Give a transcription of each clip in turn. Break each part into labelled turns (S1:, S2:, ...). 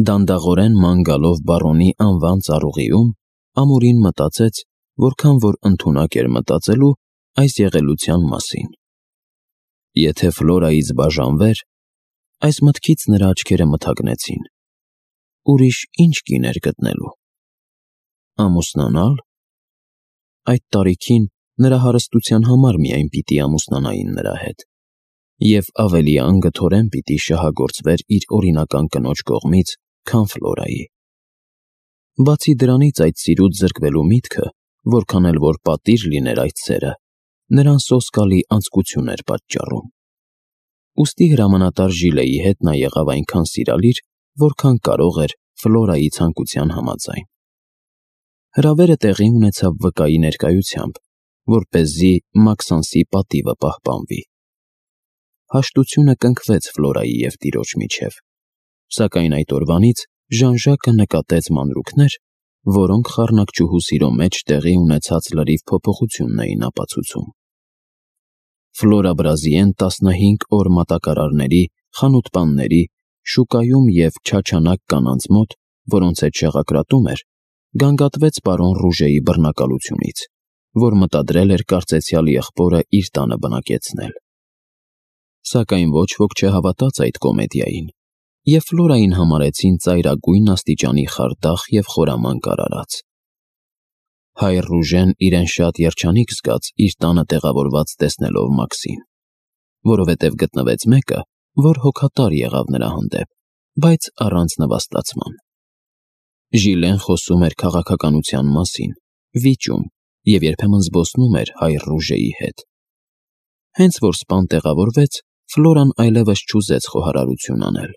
S1: Դանդաղորեն ման գալով բարոնի անվան ծառուղիում, ամուրին մտածեց, որքան որ ընդունակ էր մտածելու այս եղելության մասին։ Եթե Ֆլորայից բաժանվեր, այս մտքից նրա աչքերը մթագնեցին։ Ուրիշ ինչ կիներ գտնելու։ Ամուսնանալ։ Այդ տարիքին նրա հարստության համար միայն պիտի ամուսնանային նրա հետ, և ավելի անգթորեն պիտի շահագործվեր իր օրինական կնոջ կողմից, քան Ֆլորայի։ Բացի դրանից այդ սիրուց զրկվելու միտքը, որքան էլ որ պատիժ լիներ այդ սերը, նրան սոսկալի անձկություն էր պատճառում։ Ուստի հրամանատար Ժիլեի հետ նա եղավ այնքան սիրալիր, որքան կարող էր Ֆլորայի ցանկության համաձայն։ Հրավերը տեղի ունեցավ վկայի ներկայությամբ, որպեսզի Մաքսանսի պատիվը պահպանվի։ Հաշտությունը կնքվեց Ֆլորայի և տիրոջ միջև, սակայն այդ օրվանից Ժան-Ժակը նկատեց մանրուքներ, որոնք խառնակչուհու սիրո մեջ տեղի ունեցած լրիվ փոփոխությունն էին ապացուցում։ Ֆլորա Բրազիեն 15 օր մատակարարների, խանութպանների, շուկայում և չաչանակ կանանց մոտ, որոնց հետ շեղակրատում էր, գանգատվեց պարոն Ռուժեի բռնակալությունից, որ մտադրել էր կարծեցյալ եղբորը իր տանը բնակեցնել։ Սակայն ոչ ոք չհավատաց այդ կոմեդիային, և Ֆլորային համարեցին ծայրագույն աստիճանի խարդախ և խորամանկ արարած։ Հայր Ռուժեն իրեն շատ երջանիկ զգաց իր տանը տեղավորված տեսնելով Մաքսին, որովհետև գտնվեց մեկը, որ հոգատար եղավ նրա հանդեպ, բայց առանց նվաստացման։ Ժիլեն խոսում էր քաղաքականության մասին, վիճում և երբեմն զբոսնում էր հայր Ռուժեի հետ։ Հենց որ սպան տեղավորվեց, Ֆլորան այլևս չուզեց խոհարարություն անել։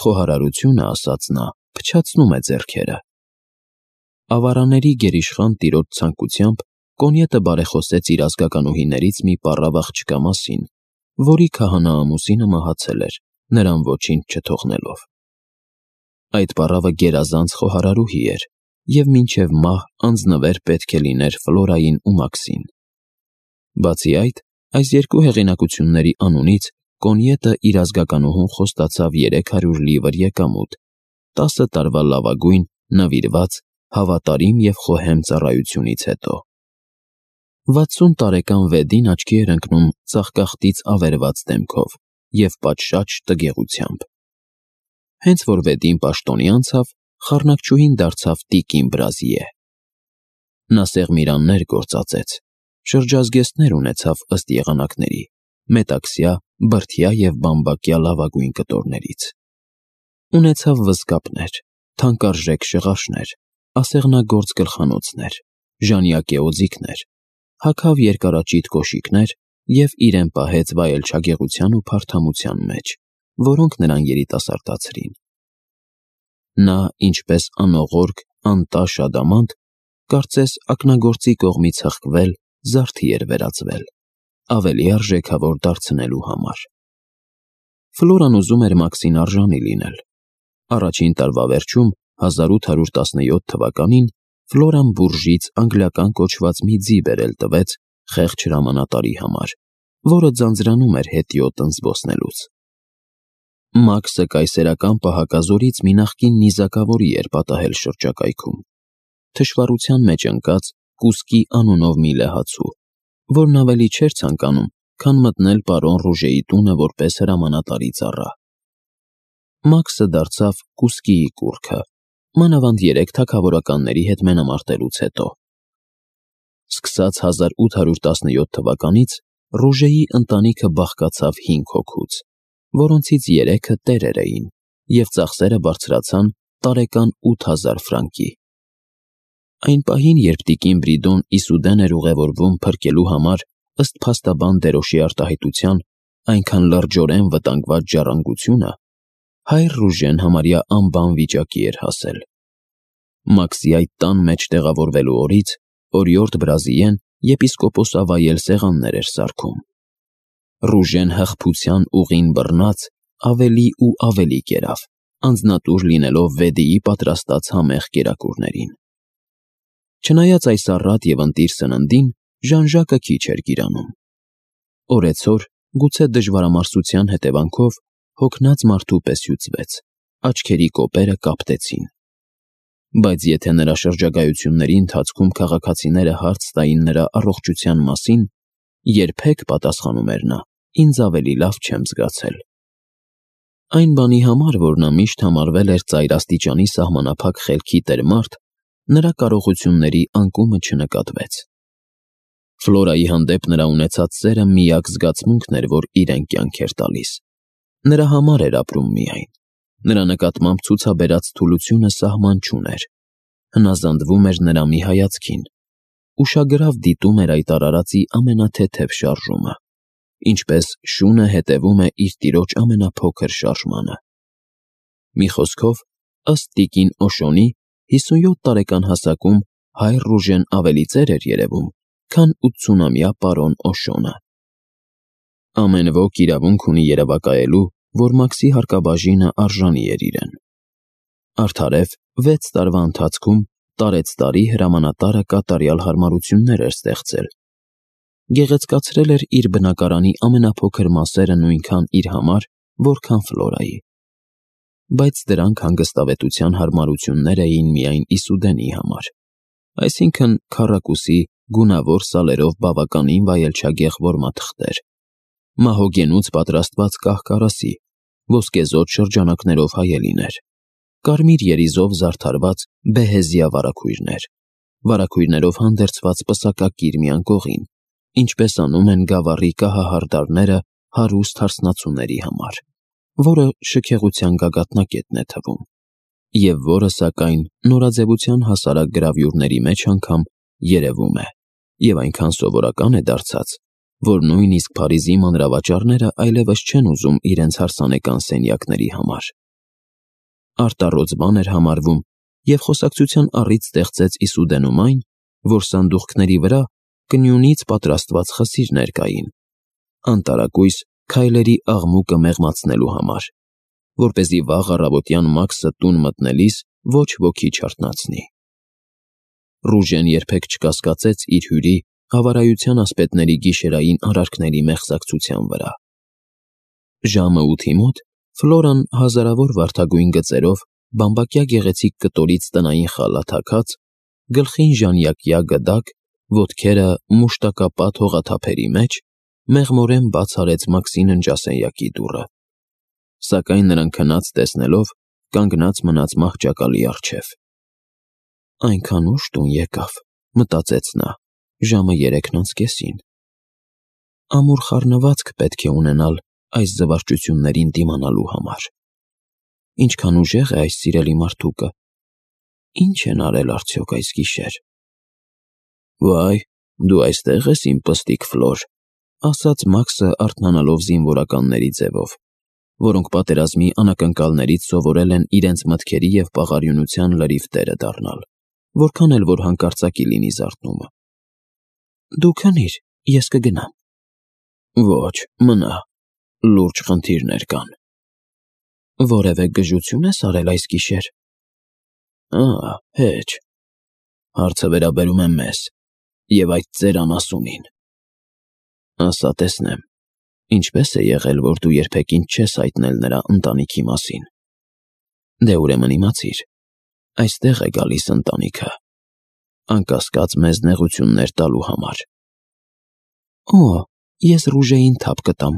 S1: Խոհարարությունը, ասաց նա, փչացնում է ձեռքերը։ Ավարանների գերիշխան տիրոջ ցանկությամբ Կոնյետը բարեխոսեց իր ազգականուհիներից մի պառավ աղջկա մասին, որի քահանա-ամուսինը մահացել էր, նրան ոչինչ չթողնելով։ Այդ պառավը գերազանց խոհարարուհի էր, և մինչև մահ անձնվեր պետք է լիներ Ֆլորային ու Մաքսին։ Բացի այդ, այս երկու հեղինակությունների անունից Կոնյետը իր ազգականուհուն խոստացավ 300 լիվր եկամուտ, 10 տարվա լավագույն, նվիրված, հավատարիմ և խոհեմ ծառայությունից հետո։ 60 տարեկան Վեդին աչքի էր ընկնում ծաղկախտից ավերված դեմքով և պատշաճ տգեղությամբ։ Հենց որ Վեդին պաշտոնի անցավ, խառնակչուհին դարձավ տիկին Բրազիե։ Նա սեղմիրաններ գործածեց, շրջազգեստներ ունեցավ ըստ եղանակների, մետաքսյա, բրդյա և բամբակյա լավագույն կտորներից։ Ունեցավ վզկապներ, թանկարժեք շղարշներ, ասեղնագործ գլխանոցներ, ժանյակե օձիքներ, հագավ երկարաճիտ կոշիկներ և իրեն պահեց վայելչագեղության ու փարթամության մեջ, որոնք նրան երիտասարդացրին։ Նա, ինչպես անողորկ, անտաշ ադամանդ, կարծես ակնագործի կողմից հղկվել, զարդի էր վերածվել, ավելի արժեքավոր դարձնելու համար։ Ֆլորան ուզում էր Մաքսին արժանի լինել։ Առաջին տարվա վերջում, 1817 թվականին, Ֆլորան բուրժից անգլիական կոչված մի ձի բերել տվեց խեղճ հրամանատարի համար, որը ձանձրանում էր հետիոտն զբոսնելուց։ Մաքսը կայսերական պահակազորից մի նախկին նիզակավորի էր պատահել շրջակայքում, թշվառության մեջ ընկած Կուսկի անունով մի լեհացու, որն ավելի չէր ցանկանում, քան մտնել պարոն Ռուժեի տունը որպես հրամանատարի ծառա։ Մաքսը դարձավ Կուսկիի կուռքը, մանավանդ 3 թագավորականների հետ մենամարտելուց հետո։ Սկսած 1817 թվականից Ռուժեի ընտանիքը բաղկացավ 5 հոգուց, որոնցից 3-ը տերեր էին, և ծախսերը բարձրացան տարեկան 8000 ֆրանկի։ Այն պահին, երբ տիկին Բրիդոն Իսուդեն էր ուղևորվում փրկելու համար ըստ փաստաբան Դերոշի արտահայտության այնքան լրջորեն վտանգված ժառանգությունը, հայր Ռուժեն համարյա անբան վիճակի էր հասել։ Մաքսի այդ տան մեջ տեղավորվելու օրից օրիորդ Բրազիեն եպիսկոպոսավայել սեղաններ էր սարքում։ Ռուժեն հղբության ուղին բռնած ավելի ու ավելի կերավ, անձնատուր լինելով Վեդիի պատրաստած համեղ կերակուրներին։ Չնայած այս առատ և ընտիր սննդին, Ժան-Ժակը քիչ էր գիրանում։ Օրեցօր, գուցե դժվարամարսության հետևանքով, հոգնած մարդու պես հյուծվեց, աչքերի կոպերը կապտեցին։ Բայց եթե նրա շրջագայությունների ընթացքում քաղաքացիները հարց տային նրա առողջության մասին, երբեք, պատասխանում էր նա, ինձ ավելի լավ չեմ զգացել։ Այն բանի համար, որ նա միշտ համարվել էր ծայրաստիճանի սահմանափակ խելքի տերմարդ, նրա կարողությունների անկումը չնկատվեց։ Ֆլորայի հանդեպ նրա ունեցած սերը միակ զգացմունքն էր, որ իրեն կյանք էր տալիս։ Նրա համար էր ապրում միայն։ Նրա նկատմամբ ցուցաբերած թուլությունը սահման չուներ։ Հնազանդվում էր նրա մի հայացքին։ Ուշագրավ դիտում էր այդ արարածի ամենաթեթև շարժումը, ինչպես շունը հետևում է իր տիրոջ ամենափոքր շարժմանը։ Մի խոսքով, ըստ տիկին Օշոնի, 57 տարեկան հասակում հայր Ռուժեն ավելի ծեր էր երևում, քան 80-ամյա պարոն Օշոնը։ Ամեն ոք իրավունք ունի երևակայելու, որ Մաքսի հարկաբաժինը արժանի էր իրեն։ Արդարև 6 տարվա ընթացքում տարեցտարի հրամանատարը կատարյալ հարմարություններ էր ստեղծել։ Գեղեցկացրել էր իր բնակարանի ամենափոքր մասերը նույնքան իր համար, որքան Ֆլորայի։ Բայց դրանք հանգստավետության հարմարություններ էին միայն Իսուդենի համար, այսինքն քառակուսի գունավոր սալերով բավականին վայելչագեղ որմաթղթեր, մահոգենուց պատրաստված կահ-կարասի, ոսկեզօծ շրջանակներով հայելիներ, կարմիր երիզով զարդարված բեհեզիա վարագույրներ, վարագույրներով հանդերձված պսակակիր մի անկողին, ինչպես անում են գավառի կահահարդարները հարուստ հարսնացուների համար, որը շքեղության գագաթնակետն է թվում, և որը, սակայն, նորաձևության հասարակ գրավյուրների մեջ անգամ երևում է, և այնքան սովորական է դարձած, որ նույնիսկ Փարիզի մանրավաճառները այլևս չեն ուզում իրենց հարսանեկան սենյակների համար։ Արտառոց բան էր համարվում և խոսակցության առիթ ստեղծեց Իսուդենում այն, որ սանդուղքների վրա կնյունից պատրաստված խսիրներ կային, անտարակույս քայլերի աղմուկը մեղմացնելու համար, որպեսզի վաղ առավոտյան Մաքսը տուն մտնելիս ոչ ոքի չարթնացնի։ Ռուժեն երբեք չկասկածեց իր հյուրի հավարայության ասպետների գիշերային արարքների մեղսակցության վրա։ Ժամը 8-ի մոտ Ֆլորան հազարավոր վարդագույն գծերով, բամբակյա գեղեցիկ կտորից տնային խալաթ հագած, գլխին ժանյակյա գդակ, ոտքերը մուշտակապատ հողաթափերի մեջ, մեղմորեն բաց արեց Մաքսի ննջասենյակի դուռը, սակայն նրան քնած տեսնելով կանգնած մնաց մահճակալի առջև։ Այնքան ուշ տուն եկավ, մտածեց նա, ժամը 3:30։ Ամուր խառնվածք պետք է ունենալ այս զվարճություններին դիմանալու համար։ Ինչքան ուժեղ է այս սիրելի մարդուկը։ Ինչ են արել արդյոք այս գիշեր։ Վայ, դու այստեղ ես, իմ պստիկ Ֆլոր, ասաց Մաքսը արթնանալով զինվորականների ձևով, որոնք պատերազմի անակնկալներից սովորել են իրենց մտքերի և պաղարյունության լրիվ տերը դառնալ, որքան էլ որ հանկարծակի լինի զարթնումը։ Դու քնիր, ես կգնամ։ Ոչ, մնա, լուրջ խնդիրներ կան։ Որևէ գժություն ես արել այս գիշեր։ Հեչ։ Հարցը վերաբերում է մեզ և այդ ծեր անասունին։ Ասա տեսնեմ, ինչպես է եղել, որ դու երբեք ինձ չես հայտնել նրա ընտանիքի մասին։ Դե ուրեմն իմացիր, այստեղ է գալիս ընտանիքը, անկասկած մեզ նեղություններ տալու համար։ Ես Ռուժեին թափ կտամ,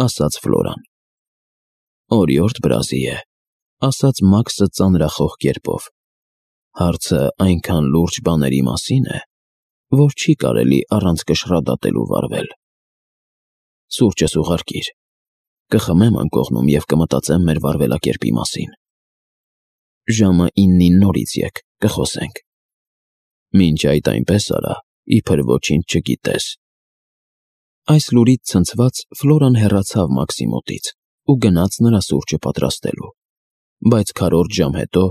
S1: ասաց Ֆլորան։ Օրիորդ Բրազի է, ասաց Մաքսը ծանրախոհ կերպով։ Հարցը այնքան լուրջ բաների մասին է, որ չի կարելի առանց կշռադատելու վարվել։ Սուրճս ուղարկիր, կխմեմ անկողնում և կմտածեմ մեր վարվելակերպի մասին։ Ժամը 9-ին նորից եկ, կխոսենք։ Մինչ այդ այնպես արա, իբր ոչինչ չգիտես։ Այս լուրից ցնցված Ֆլորան հեռացավ Մաքսի մոտից ու գնաց նրա սուրճը պատրաստելու, բայց քառորդ ժամ հետո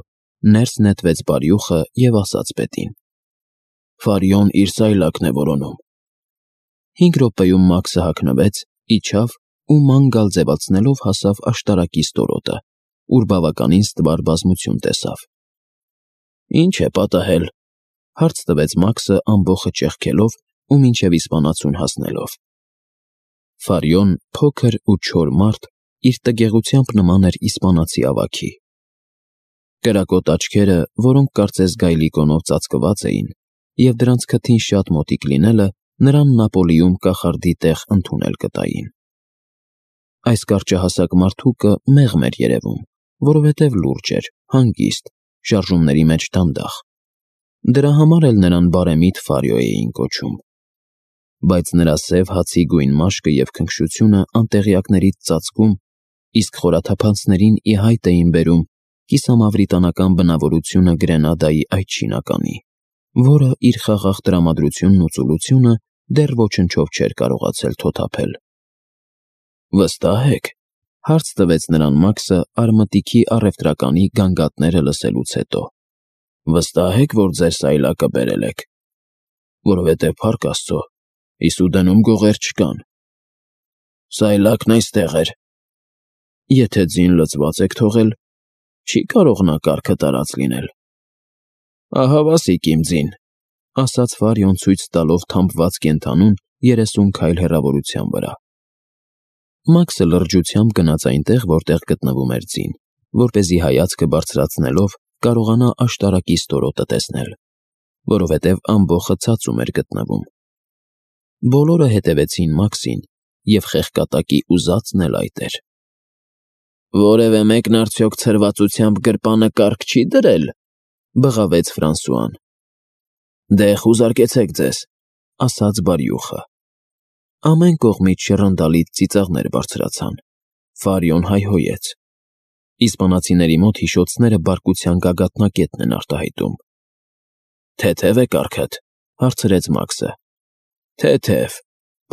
S1: ներս նետվեց բարյուխը և ասաց պետին. Ֆարիոն իր սայլակն է որոնում։ 5 րոպեում Մաքսը հագնվեց, իջավ ու ման գալ ձևացնելով հասավ աշտարակի ստորոտը, ուր բավականին ստվար բազմություն տեսավ։ Ինչ է պատահել, հարց տվեց Մաքսը ամբոխը ճեղքելով ու մինչև իսպանացուն հասնելով։ Ֆարիոն, փոքր ու չոր մարդ, իր տգեղությամբ նման էր իսպանացի ավագի, Կրակոտ աչքերը, որոնք կարծես գայլի կոնով ծածկված էին, և դրանց քթին շատ մոտիկ լինելը նրան Նապոլիում կախարդի տեղ ընդունել կտային։ Այս կարճահասակ մարդուկը մեղմ էր երևում, որովհետև լուրջ էր, հանգիստ, շարժումների մեջ դանդաղ։ Դրա համար էլ նրան բարեմիտ Ֆարիո էին կոչում։ Բայց նրա սև հացի գույն մաշկը և քնքշությունը անտեղյակներից ծածկում, իսկ խորաթափանցներին ի հայտ էին բերում կիսամավրիտանական բնավորությունը Գրենադայի այդ շինականի, որը իր խաղաղ տրամադրությունն ու ծուլությունը դեռ ոչնչով չէր կարողացել թոթափել։ «Վստահ եք», հարց տվեց նրան Մաքսը արմատիքի առևտրականի գանգատները լսելուց հետո։ «Վստահ եք, որ ձեր սայլակը բերել եք, որովհետև փառք Աստծո, Իսուդենում գողեր չկան»։ «Սայլակն այստեղ էր»։ «Եթե ձին լցված եք թողել, չի կարող նա կառքը տարած լինել»։ «Ահա վասիկ իմ ձին», ասաց Ֆարիոն ցույց տալով թամփված կենդանուն 30 քայլ հեռավորության վրա։ Մաքսը լրջությամբ գնաց այնտեղ, որտեղ գտնվում էր ձին, որպեսզի հայացքը բարձրացնելով կարողանա աշտարակի ստորոտը տեսնել, որովհետև ամբոխը ցածում էր գտնվում։ Բոլորը հետևեցին Մաքսին, և խեղկատակի ուզածն էլ այդ էր։ «Որևէ մեկն արդյոք ցրվածությամբ գրպանը կառք չի դրել», բղավեց Ֆրանսուան։ «Դե խուզարկեցեք ձեզ», ասաց բարյուխը։ Ամեն կողմից շռնդալից ծիծաղներ բարձրացան։ Ֆարիոն հայհոյեց։ Իսպանացիների մոտ հիշոցները բարկության գագաթնակետն են արտահայտում։ «Թեթև է կառքդ», հարցրեց Մաքսը։ «Թեթև»,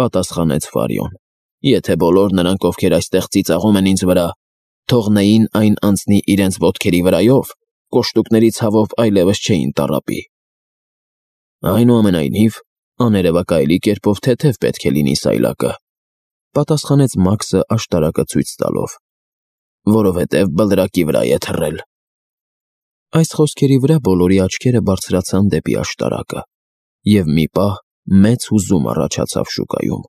S1: պատասխանեց Ֆարիոն։ «Եթե բոլոր նրանք, ովքեր այստեղ ծիծաղում են ինձ վրա, թողնեին այն անցնի իրենց ոտքերի վրայով, կոշտուկների ցավով այլևս չէին տառապի»։ «Այնուամենայնիվ, աներևակայելի կերպով թեթև պետք է լինի սայլակը», պատասխանեց Մաքսը աշտարակը ցույց տալով։ «Որովհետև բլրակի վրա է թռել»։ Այս խոսքերի վրա բոլորի աչքերը բարձրացան դեպի աշտարակը, և մի պահ մեծ հուզում առաջացավ շուկայում։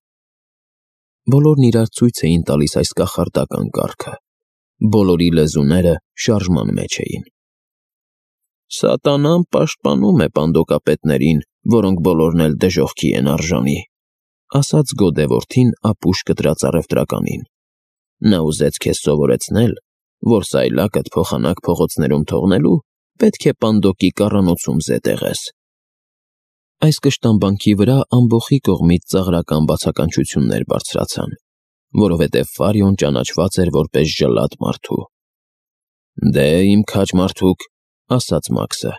S1: Բոլորն իրար ցույց էին տալիս այս կախարդական կառքը։ Բոլորի լեզուները շարժման մեջ էին։ «Սատանան պաշտպանում է պանդոկապետներին, որոնք բոլորն էլ դժոխքի են արժանի», ասաց գոդեվորդին ապուշ կտրած առևտրականին։ «Նա ուզեց քեզ սովորեցնել, որ սայլակդ փոխանակ փողոցներում թողնելու պետք է պանդոկի կառանոցում զետեղես»։ Այս կշտամբանքի վրա ամբոխի կողմից ծաղրական բացականչություններ բարձրացան, որովհետև Ֆարիոն ճանաչված էր որպես ժլատ մարդու։ «Դե, իմ քաջ մարդուկ», ասաց Մաքսը,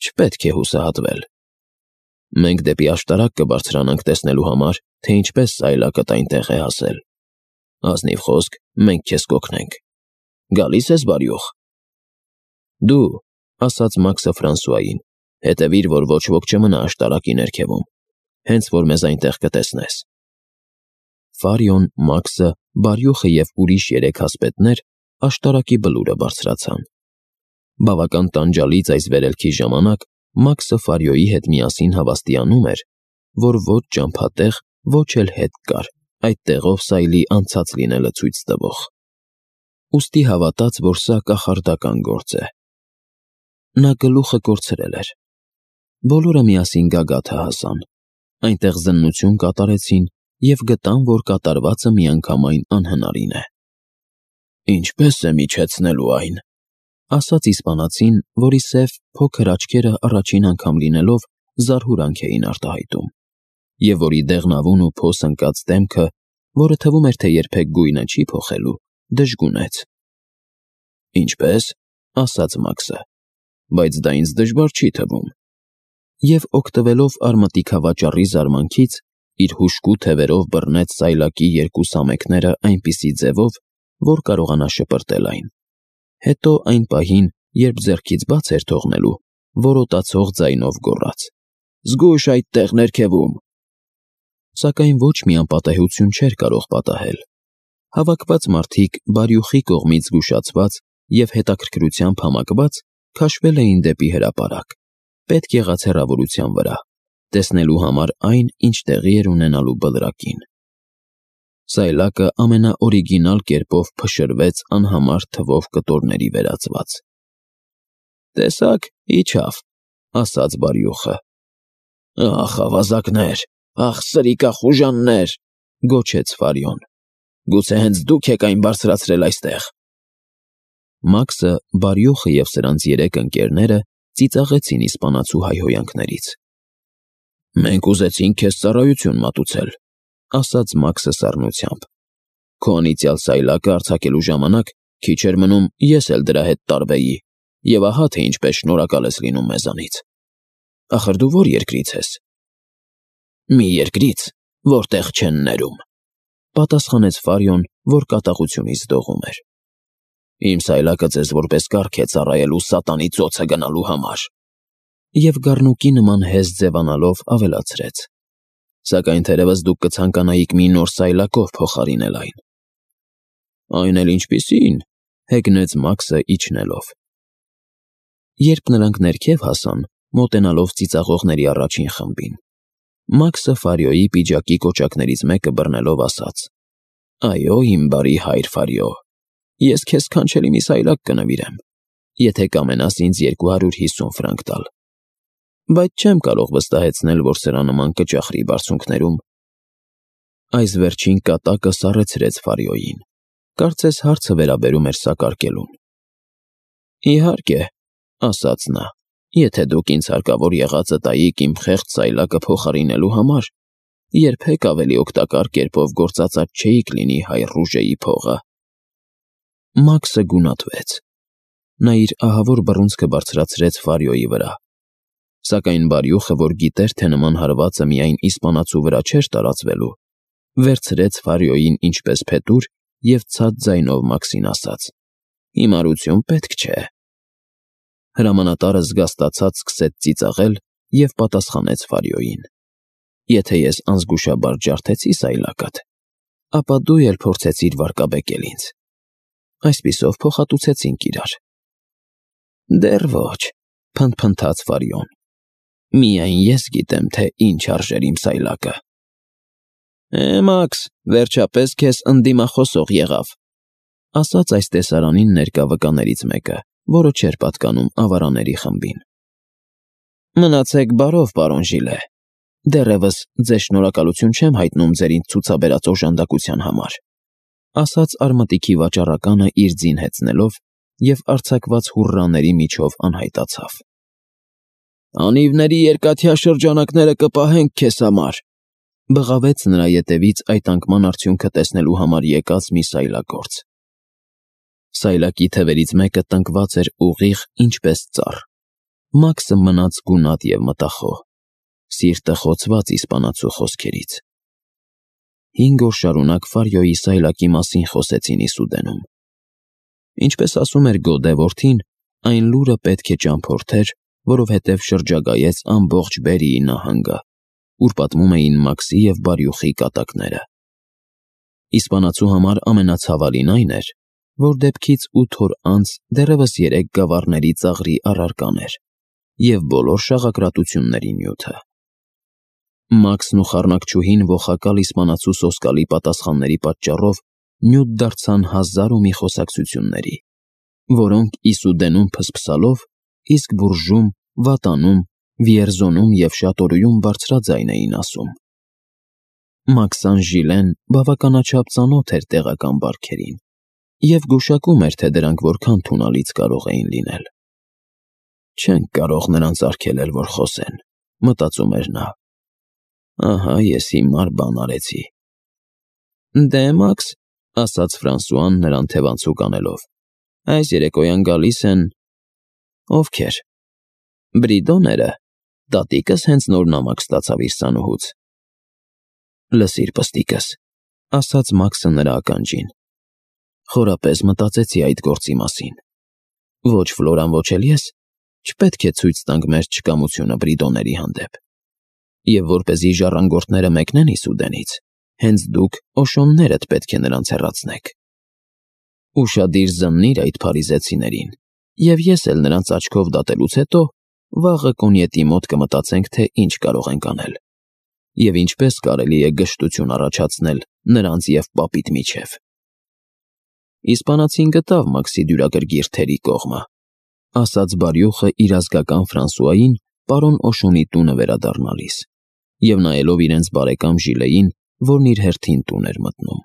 S1: «չպետք է հուսահատվել։ Մենք դեպի աշտարակ կբարձրանանք տեսնելու համար, թե ինչպես սայլակդ այնտեղ է հասել։ Ազնիվ խոսք, մենք քեզ կօգնենք։ Գալի՞ս ես, բարյուխ»։ «Դու», ասաց Մաքսը Ֆրանսուային, «հետևիր, որ ոչ ոք չմնա աշտարակի ներքևում, հենց որ մեզ այնտեղ կտեսնես»։ Ֆարիոն, Մաքսը, բարյուխը և ուրիշ 3 ասպետներ աշտարակի բլուրը բարձրացան։ Բավական տանջալից այս վերելքի ժամանակ Մաքսը Ֆարիոյի հետ միասին հավաստիանում էր, որ ոչ ճամփատեղ, ոչ էլ հետ կար այդ տեղով սայլի անցած լինելը ցույց տվող։ Ուստի հավատաց, որ սա կախարդական գործ է։ Նա գլուխը կորցրել էր։ Բոլորը միասին գագաթը հասան։ Այնտեղ զննություն կատարեցին և գտան, որ կատարվածը միանգամայն անհնարին է։ «Ինչպես եմ իջեցնելու այն», ասաց իսպանացին, որի սև, փոքր աչքերը առաջին անգամ լինելով զարհուրանք էին արտահայտում, և որի դեղնավուն ու փոս ընկած դեմքը, որը թվում էր, թե երբեք գույնը չի փոխելու, դժգունեց։ «Ինչպես», ասաց Մաքսը, «բայց դա ինձ դժվար չի թվում»։ Եվ օգտվելով արմատիքավաճառի զարմանքից, իր հուժկու թևերով բռնեց սայլակի 2 սամեքները այնպիսի ձևով, որ կարողանա շպրտել այն։ Հետո այն պահին, երբ ձեռքից բաց էր թողնելու, որոտացող ձայնով գոռաց. «Զգույշ այդտեղ ներքևում»։ Սակայն ոչ մի անպատեհություն չէր կարող պատահել։ Հավաքված մարդիկ բարյուխի կողմից զգուշացված և հետաքրքրությամբ համակված քաշվել էին դեպի հրապարակ, պետք եղած հեռավորության վրա, տեսնելու համար այն, ինչ տեղի էր ունենալու բլրակին։ Սայլակը ամենաօրիգինալ կերպով փշրվեց անհամար թվով կտորների վերածված։ Տեսաք, իջավ, ասաց բարյոխը։ Ախ, ավազակներ, ախ, սրիկախուժաններ, գոչեց Ֆարյոն։ Գուցե հենց դուք եք այն բարձրացրել այստեղ։ Մաքսը, բարյոխը և սրանց 3 ընկերները ծիծաղեցին իսպանացու հայհոյանքներից։ Մենք ուզեցինք քեզ ծառայություն մատուցել, ասաց Մաքսը սառնությամբ։ Քո անիծյալ սայլակը արձակելու ժամանակ քիչ էր մնում ես էլ դրա հետ տարվեի, և ահա թե ինչպես շնորհակալ ես լինում մեզանից։ Ախր դու որ երկրից ես։ Մի երկրից, որտեղ չեն ներում, պատասխանեց Ֆարյոն, որ կատաղությունից դողում էր։ Իմ սայլակը ձեզ որպես կարգ է ծառայելու սատանի ծոցը գնալու համար։ Եվ գառնուկի նման հեզ ձևանալով ավելացրեց. Սակայն թերևս դուք կցանկանայիք մի նոր սայլակով փոխարինել այն։ Այն էլ ինչպիսին, հեգնեց Մաքսը իջնելով։ Երբ նրանք ներքև հասան, մոտենալով ծիծաղողների առաջին խմբին, Մաքսը Ֆարյոյի պիջակի կոճակներից մեկը բռնելով ասաց. Այո, իմ բարի հայր Ֆարյո, ես քեզ քանչելի մի սայլակ կնվիրեմ, եթե կամենաս ինձ 250 ֆրանկ տալ։ Բայց չեմ կարող վստահեցնել, որ սրա նման կճախրի բարձունքներում։ Այս վերջին կատակը սառեցրեց Ֆարյոյին։ Կարծես հարցը վերաբերում էր սակարկելուն։ Իհարկե, ասաց նա, եթե դուք ինձ հարկավոր եղածը տայիք իմ խեղճ սայլակը փոխարինելու համար, երբեք ավելի օգտակար կերպով գործածած չէիք լինի հայ Ռուժեի փողը։ Մաքսը գունատվեց։ Նա իր ահավոր բռունցքը բարձրացրեց Ֆարյոյի վրա։ Սակայն բարյոխը, որ գիտեր, թե նման հարվածը միայն իսպանացու վրա չէր տարածվելու, վերցրեց Ֆարյոյին ինչպես փետուր և ցած ձայնով Մաքսին ասաց. Հիմարություն պետք չէ։ Հրամանատարը զգաստացած սկսեց ծիծաղել և պատասխանեց Ֆարյոյին. Եթե ես անզգուշաբար ջարդեցի սայլակդ, ապա դու էլ փորձեցիր վարկաբեկել ինձ։ Այսպիսով փոխհատուցեցինք իրար։ Դեռ ոչ, փնթփնթաց Ֆարյոն։ Միայն ես գիտեմ, թե ինչ արժեր իմ սայլակը։ Մաքս, վերջապես քեզ ընդդիմախոսող եղավ, ասաց այս տեսարանին ներկա վկաներից մեկը, որը չէր պատկանում ավարաների խմբին։ Մնացեք բարով, պարոն Ժիլե։ Դեռևս ձեզ շնորհակալություն չեմ հայտնում ձեր ինձ ցուցաբերած օժանդակության համար, ասաց արմատիքի վաճառականը իր ձին հեծնելով և արձակված հուռաների միջով անհայտացավ։ Անիվների երկաթյա շրջանակները կպահենք քեզ համար, բղավեց նրա ետևից այդ անկման արդյունքը տեսնելու համար եկած մի սայլագործ։ Սայլակի թևերից մեկը տնկված էր ուղիղ, ինչպես ծառ։ Մաքսը մնաց գունատ և մտախոհ, սիրտը խոցված իսպանացու խոսքերից։ 5 օր շարունակ Ֆարյոյի սայլակի մասին խոսեցին Իսուդենում։ Ինչպես ասում էր Գոդե որդին, այն լուրը պետք է ճամփորդեր, որովհետև շրջագայեց ամբողջ Բերիի նահանգը, ուր պատմում էին Մաքսի և բարյոխի կատակները։ Իսպանացու համար ամենացավալին այն էր, որ դեպքից 8 օր անց դեռևս 3 գավառների ծաղրի առարկան էր և բոլոր շաղակրատությունների նյութը։ Մաքսն ու խառնակչուհին ողակալ իսպանացու սոսկալի պատասխանների պատճառով նյութ դարձան 1000 ու մի խոսակցությունների, որոնք Իսուդենում փսփսալով, իսկ Բուրժում, Վատանում, Վիերզոնում և Շատորիում բարձրաձայն էին ասում։ Մաքսան Ժիլեն բավականաչափ ծանոթ էր տեղական բարքերին և գուշակում էր, թե դրանք որքան թունալից կարող էին լինել։ Չենք կարող նրանց արգելել, որ խոսեն, մտածում էր նա։ Ահա ես հիմար բան արեցի։ Դե Մաքս, ասաց Ֆրանսուան նրան թևանցուկ անելով, այս երեկոյան գալիս են… Ովքեր։ Բրիդոները, տատիկս հենց նոր նամակ ստացավ իր սանուհուց։ Լսիր, պստիկս, ասաց Մաքսը նրա ականջին։ Խորապես մտածեցի այդ գործի մասին։ Ոչ Ֆլորան, ոչ էլ ես չպետք է ցույց տանք մեր չկամությունը Բրիդոների հանդեպ։ Եվ որպեսզի ժառանգորդները մեկնեն Իսուդենից, հենց դուք օշոններդ պետք է նրանց հեռացնեք։ Ուշադիր զննիր այդ փարիզեցիներին, և ես էլ նրանց աչքով դատելուց հետո վաղը կոնյետի մոտ կմտածենք, թե ինչ կարող ենք անել, և ինչպես կարելի է գժտություն առաջացնել նրանց և պապիտ միջև։ Իսպանացին գտավ Մաքսի դյուրագրգիռ թերի կողմը, ասաց բարյոխը իր ազգական Ֆրանսուային պարոն Օշունի տունը վերադառնալիս, և նայելով իրենց բարեկամ Ժիլեին, որն իր հերթին տուն էր մտնում։